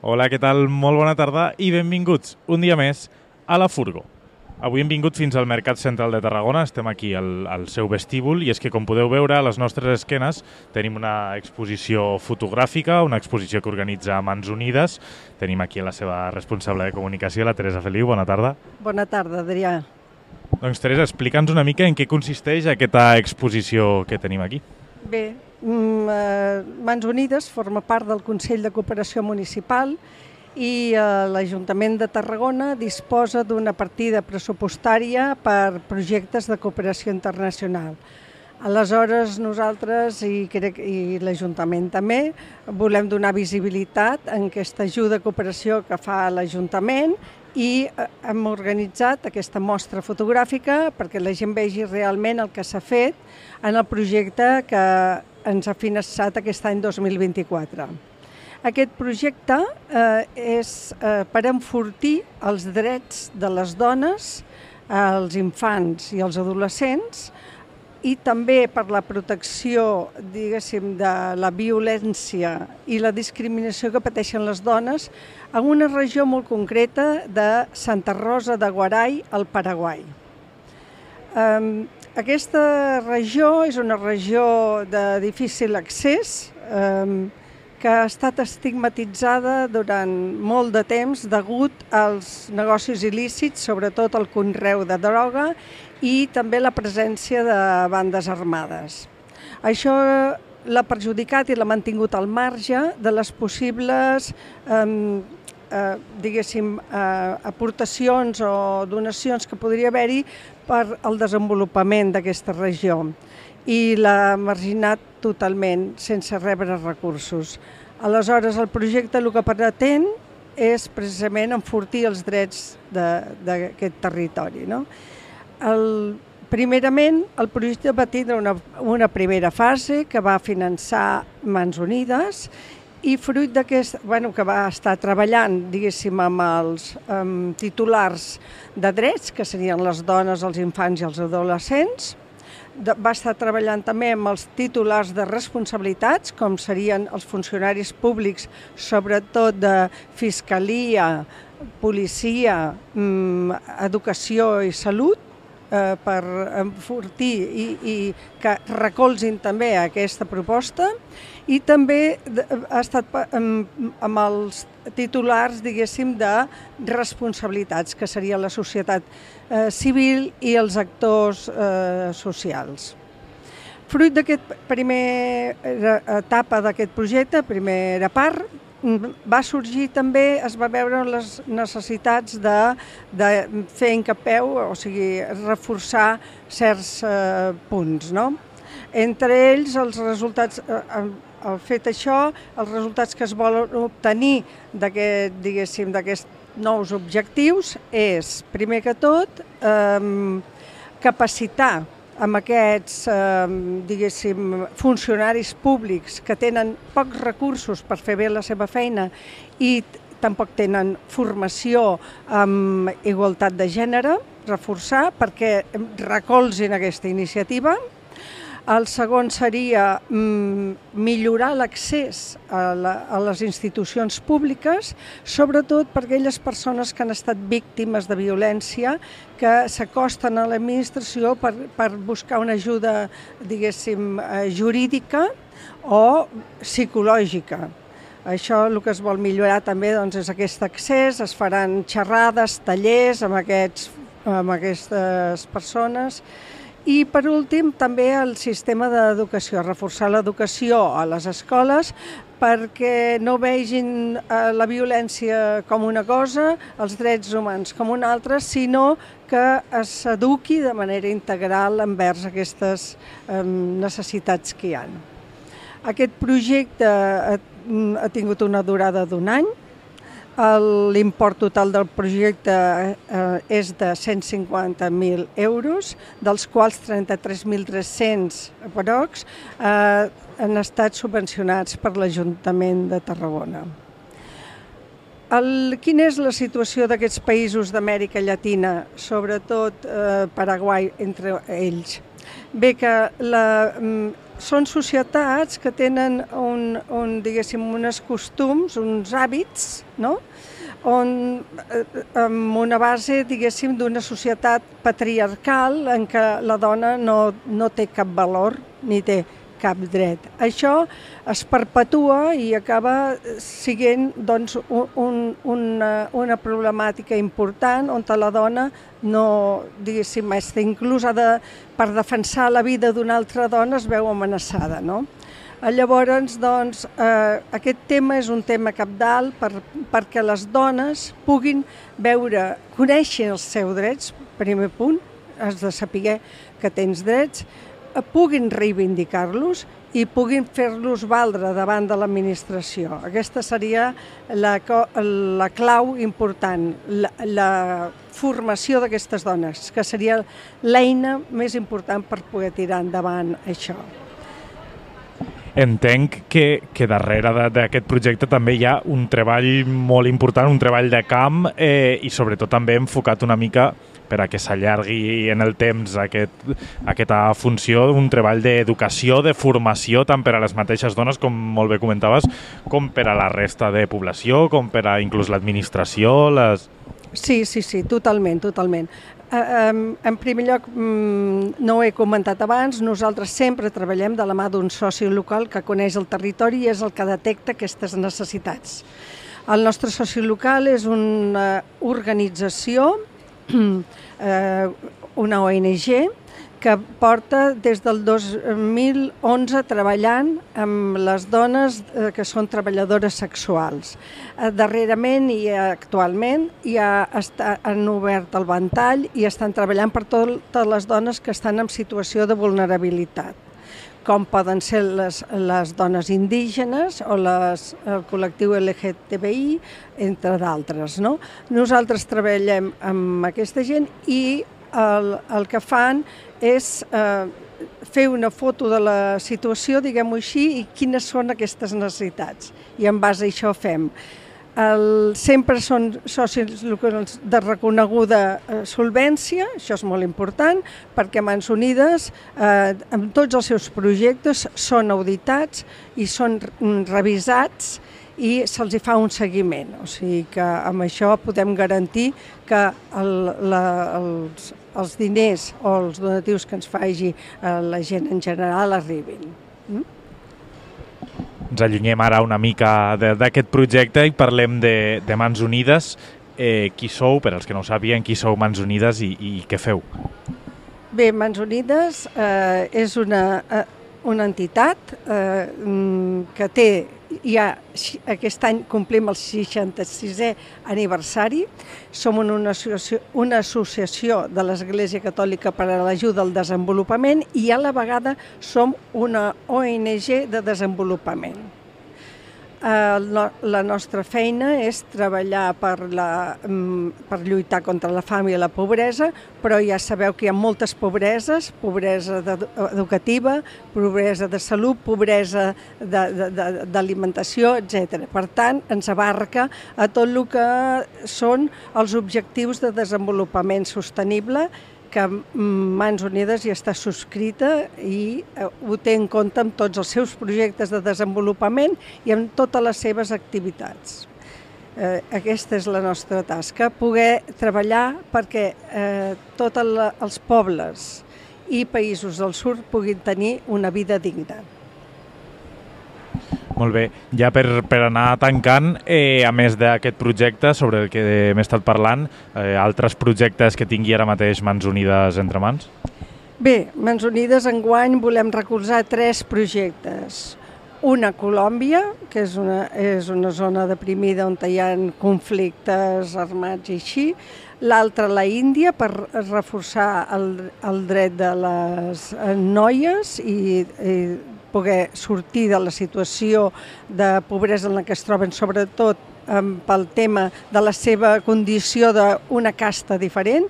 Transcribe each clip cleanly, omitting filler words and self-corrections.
Hola, què tal? Molt bona tarda i benvinguts un dia més a la Furgo. Avui hem vingut fins al Mercat Central de Tarragona, estem aquí al seu vestíbul i és que, com podeu veure, a les nostres esquenes tenim una exposició fotogràfica, una exposició que organitza Mans Unides. Tenim aquí la seva responsable de comunicació, la Teresa Feliu. Bona tarda. Bona tarda, Adrià. Doncs, Teresa, explica'ns una mica en què consisteix aquesta exposició que tenim aquí. Bé, Mans Unides forma part del Consell de Cooperació Municipal i l'Ajuntament de Tarragona disposa d'una partida pressupostària per projectes de cooperació internacional. Aleshores, nosaltres i l'Ajuntament també volem donar visibilitat en aquesta ajuda a cooperació que fa l'Ajuntament i hem organitzat aquesta mostra fotogràfica perquè la gent vegi realment el que s'ha fet en el projecte que ens ha finançat aquest any 2024. Aquest projecte és per enfortir els drets de les dones, els infants i els adolescents i també per la protecció, diguéssim, de la violència i la discriminació que pateixen les dones en una regió molt concreta de Santa Rosa de Guaray, al Paraguai. Aquesta regió és una regió de difícil accés que ha estat estigmatitzada durant molt de temps degut als negocis il·lícits, sobretot el conreu de droga i també la presència de bandes armades. Això l'ha perjudicat i l'ha mantingut al marge de les possibles aportacions o donacions que podria haver-hi per al desenvolupament d'aquesta regió i l'ha marginat totalment sense rebre recursos. Aleshores, el projecte el que pretén és precisament enfortir els drets d'aquest territori. Primerament, el projecte va tindre una primera fase que va finançar Mans Unides i fruit d'aquest, que va estar treballant, diguéssim, amb els titulars de drets, que serien les dones, els infants i els adolescents. Va estar treballant també amb els titulars de responsabilitats, com serien els funcionaris públics, sobretot de fiscalia, policia, educacació i salut, per enfortir i que recolzin també aquesta proposta, i també ha estat amb els titulars, diguéssim, de responsabilitats, que seria la societat civil i els actors socials. Fruit d'aquesta primera etapa d'aquest projecte, primera part, va sorgir també, es va veure les necessitats de fer incapeu, o sigui, reforçar certs punts, no? Entre ells, els resultats, fet això, els resultats que es volen obtenir d'aquests nous objectius és, primer que tot, capacitar amb aquests, funcionaris públics que tenen pocs recursos per fer bé la seva feina i tampoc tenen formació en igualtat de gènere, reforçar perquè recolzin aquesta iniciativa. El segon seria millorar l'accés a les institucions públiques, sobretot per aquelles persones que han estat víctimes de violència, que s'acosten a l'administració per buscar una ajuda, diguéssim, jurídica o psicològica. Això el que es vol millorar també és aquest accés, es faran xerrades, tallers amb aquestes persones. I, per últim, també el sistema d'educació, reforçar l'educació a les escoles perquè no vegin la violència com una cosa, els drets humans com una altra, sinó que s'eduqui de manera integral envers aquestes necessitats que hi ha. Aquest projecte ha tingut una durada d'1 any. L'import total del projecte és de 150.000 euros, dels quals 33.300 aprox han estat subvencionats per l'Ajuntament de Tarragona. Quina és la situació d'aquests països d'Amèrica Llatina, sobretot Paraguai entre ells? Bé, que són societats que tenen diguéssim, uns costums, uns hàbits, no? Amb una base, diguéssim, d'una societat patriarcal en què la dona no té cap valor ni té cap dret. Això es perpetua i acaba sent doncs, una problemàtica important on la dona no, diguéssim, inclús per defensar la vida d'una altra dona es veu amenaçada, no? Llavors, doncs, aquest tema és un tema cabdal perquè les dones puguin conèixer els seus drets, primer punt, has de saber que tens drets, puguin reivindicar-los i puguin fer-los valdre davant de l'administració. Aquesta seria la clau important, la formació d'aquestes dones, que seria l'eina més important per poder tirar endavant això. Entenc que darrere d'aquest projecte també hi ha un treball molt important, un treball de camp i sobretot també enfocat una mica per a que s'allargui en el temps aquesta funció, un treball d'educació, de formació, tant per a les mateixes dones, com molt bé comentaves, com per a la resta de població, com per a inclús l'administració. Sí, totalment. En primer lloc, no ho he comentat abans, nosaltres sempre treballem de la mà d'un soci local que coneix el territori i és el que detecta aquestes necessitats. El nostre soci local és una organització, una ONG, que porta des del 2011 treballant amb les dones que són treballadores sexuals. Darrerament i actualment han obert el ventall i estan treballant per totes les dones que estan en situació de vulnerabilitat, com poden ser les dones indígenes o el col·lectiu LGTBI, entre d'altres. Nosaltres treballem amb aquesta gent i el que fan és fer una foto de la situació, diguem-ho així, i quines són aquestes necessitats. I en base a això fem. Sempre són socis locals de reconeguda solvència, això és molt important, perquè Mans Unides, amb tots els seus projectes, són auditats i són revisats i se'ls fa un seguiment. O sigui que amb això podem garantir que els diners o els donatius que ens faci la gent en general arribin. Ens allunyem ara una mica d'aquest projecte i parlem de Mans Unides. Qui sou, per als que no ho sàpiguen, qui sou Mans Unides i què feu? Bé, Mans Unides és una entitat que té, aquest any complim el 66è aniversari. Som una associació de l'Església Catòlica per a l'Ajuda al Desenvolupament i a la vegada som una ONG de desenvolupament. La nostra feina és treballar per lluitar contra la fam i la pobresa, però ja sabeu que hi ha moltes pobreses, pobresa educativa, pobresa de salut, pobresa d'alimentació, etc. Per tant, ens abarca a tot el que són els objectius de desenvolupament sostenible, que Mans Unides ja està subscrita i ho té en compte amb tots els seus projectes de desenvolupament i amb totes les seves activitats. Aquesta és la nostra tasca, poder treballar perquè tots els pobles i països del sud puguin tenir una vida digna. Molt bé. Ja per anar tancant, a més d'aquest projecte sobre el que hem estat parlant, altres projectes que tingui ara mateix Mans Unides entre mans? Bé, Mans Unides enguany volem recolzar 3 projectes. Una a Colòmbia, que és una zona deprimida on hi ha conflictes armats i així. L'altra a la Índia, per reforçar el dret de les noies i poder sortir de la situació de pobresa en la que es troben, sobretot pel tema de la seva condició d'una casta diferent.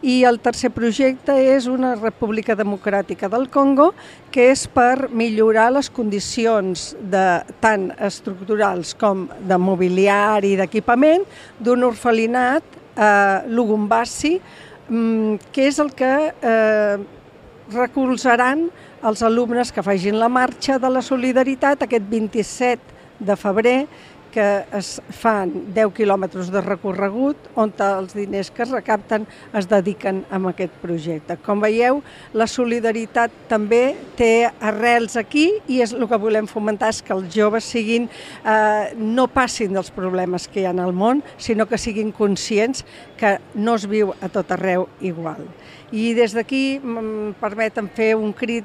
I el tercer projecte és una República Democràtica del Congo, que és per millorar les condicions tant estructurals com de mobiliari i d'equipament d'un orfelinat a Lubumbashi, que és el que recolzaran als alumnes que facin la marxa de la solidaritat aquest 27 de febrer, que es fan 10 quilòmetres de recorregut on els diners que es recapten es dediquen a aquest projecte. Com veieu, la solidaritat també té arrels aquí i el que volem fomentar és que els joves no passin dels problemes que hi ha al món, sinó que siguin conscients que no es viu a tot arreu igual. I des d'aquí permeten fer un crit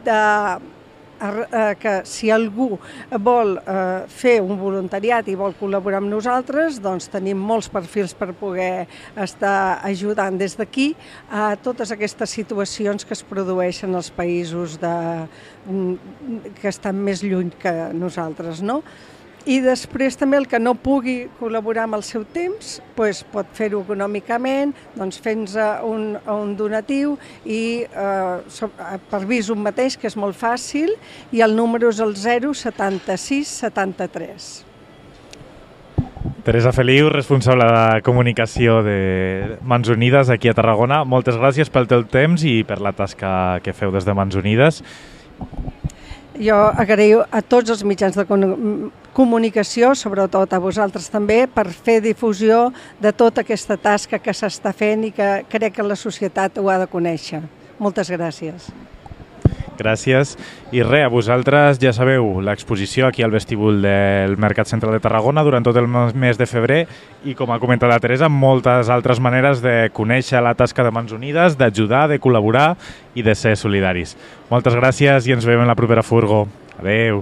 que si algú vol fer un voluntariat i vol col·laborar amb nosaltres, doncs tenim molts perfils per poder estar ajudant des d'aquí a totes aquestes situacions que es produeixen als països que estan més lluny que nosaltres, no? I després també el que no pugui col·laborar amb el seu temps pot fer-ho econòmicament, fent-nos un donatiu i per Visum mateix, que és molt fàcil, i el número és el 076 73. Teresa Feliu, responsable de comunicació de Mans Unides aquí a Tarragona. Moltes gràcies pel teu temps i per la tasca que feu des de Mans Unides. Jo agraïo a tots els mitjans de comunicació, sobretot a vosaltres també, per fer difusió de tota aquesta tasca que s'està fent i que crec que la societat ho ha de conèixer. Moltes gràcies. Gràcies. I res, a vosaltres ja sabeu, l'exposició aquí al vestíbul del Mercat Central de Tarragona durant tot el mes de febrer i, com ha comentat la Teresa, moltes altres maneres de conèixer la tasca de Mans Unides, d'ajudar, de col·laborar i de ser solidaris. Moltes gràcies i ens veiem en la propera Furgo. Adeu.